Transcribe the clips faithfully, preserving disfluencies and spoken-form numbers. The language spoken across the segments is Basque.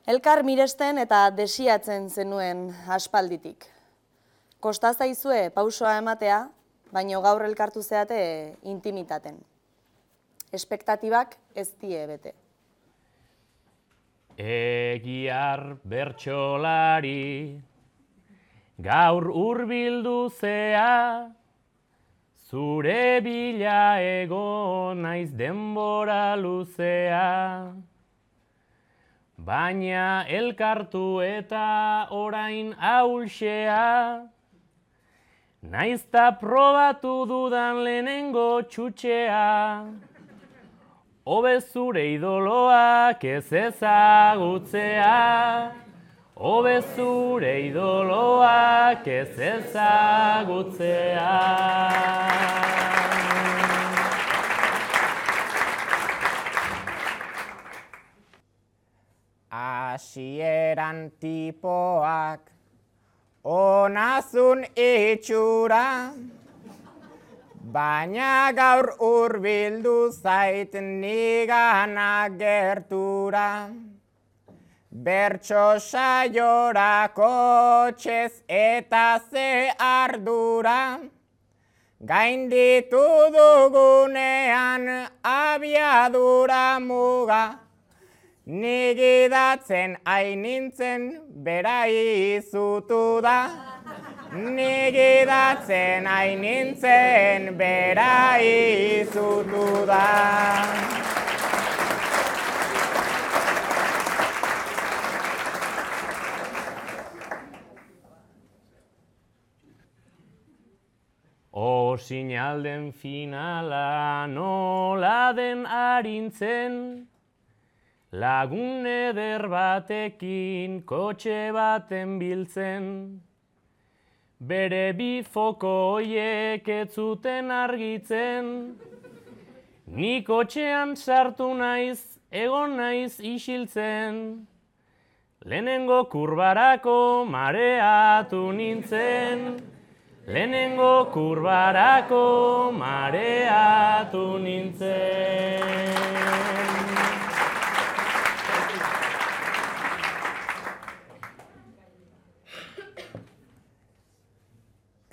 Elkar miresten eta desiatzen zenuen aspalditik. Kosta zaizue pausoa ematea, baino gaur elkartu zeate intimitaten. Espektatibak ez die bete. Egiar bertsolari, gaur hurbildu zea, zure bila egon naiz denbora luzea. Baina elkartu eta orain ahulxea, naizta probatu dudan lehenengo txutxea. Hobe zure idoloak ez ezagutzea, hobe zure idoloak ez ezagutzea. Hasieran tipoak onazun itxura, baina gaur hurbildu zait nigana gertura. Bertso saiorako txez eta ze ardura, gainditu dugunean abiadura muga. Nigidatzen ainintzen bera izutu da. Nigidatzen ainintzen bera izutu da. O sinalden finala nola den arintzen, lagun eder batekin kotxe baten biltzen. Bere bi foko hoiek ez zuten argitzen, ni kotxean sartu naiz, egon naiz isiltzen. Lehenengo kurbarako mareatu nintzen, lehenengo kurbarako mareatu nintzen.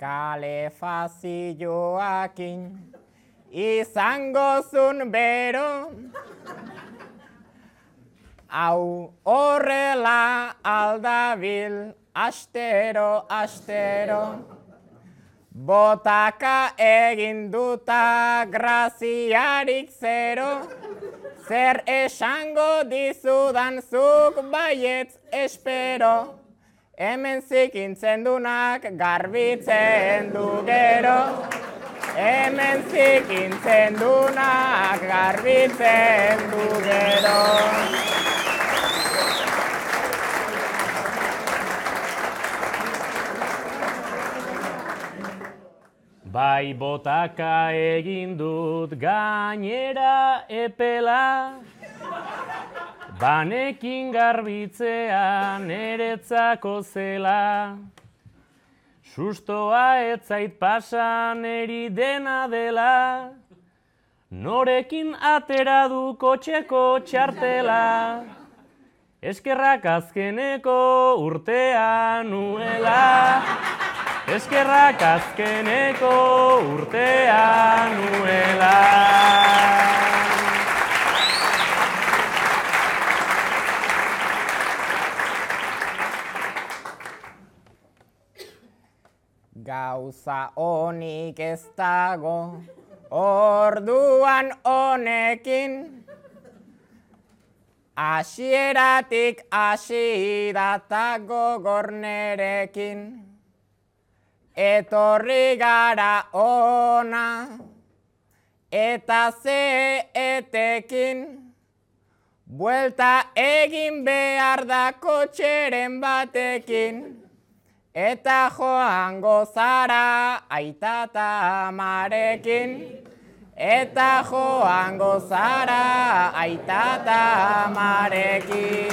Kalefazioakin izango zun bero, hau horrela aldabil astero, astero. Botaka egin duta graziarik zero, zer esango dizudan zuk baietz espero. Hemen zikintzen dunak garbitzen du gero. Hemen zikintzen dunak garbitzen du gero. Bai botaka egin dut gainera epela, banekin garbitzea niretzako zela. Sustoa ez zait pasan eri dena dela, norekin atera du kotxeko txartela. Eskerrak azkeneko urtea nuela, eskerrak azkeneko urtea nuela. Gauza honik ez dago, orduan honekin, hasieratik hasi data gogor nerekin. Etorri gara ona, eta ze etekin, buelta egin behar da kotxeren batekin. Eta joango zara aita ta amarekin, eta joango zara aita ta amarekin.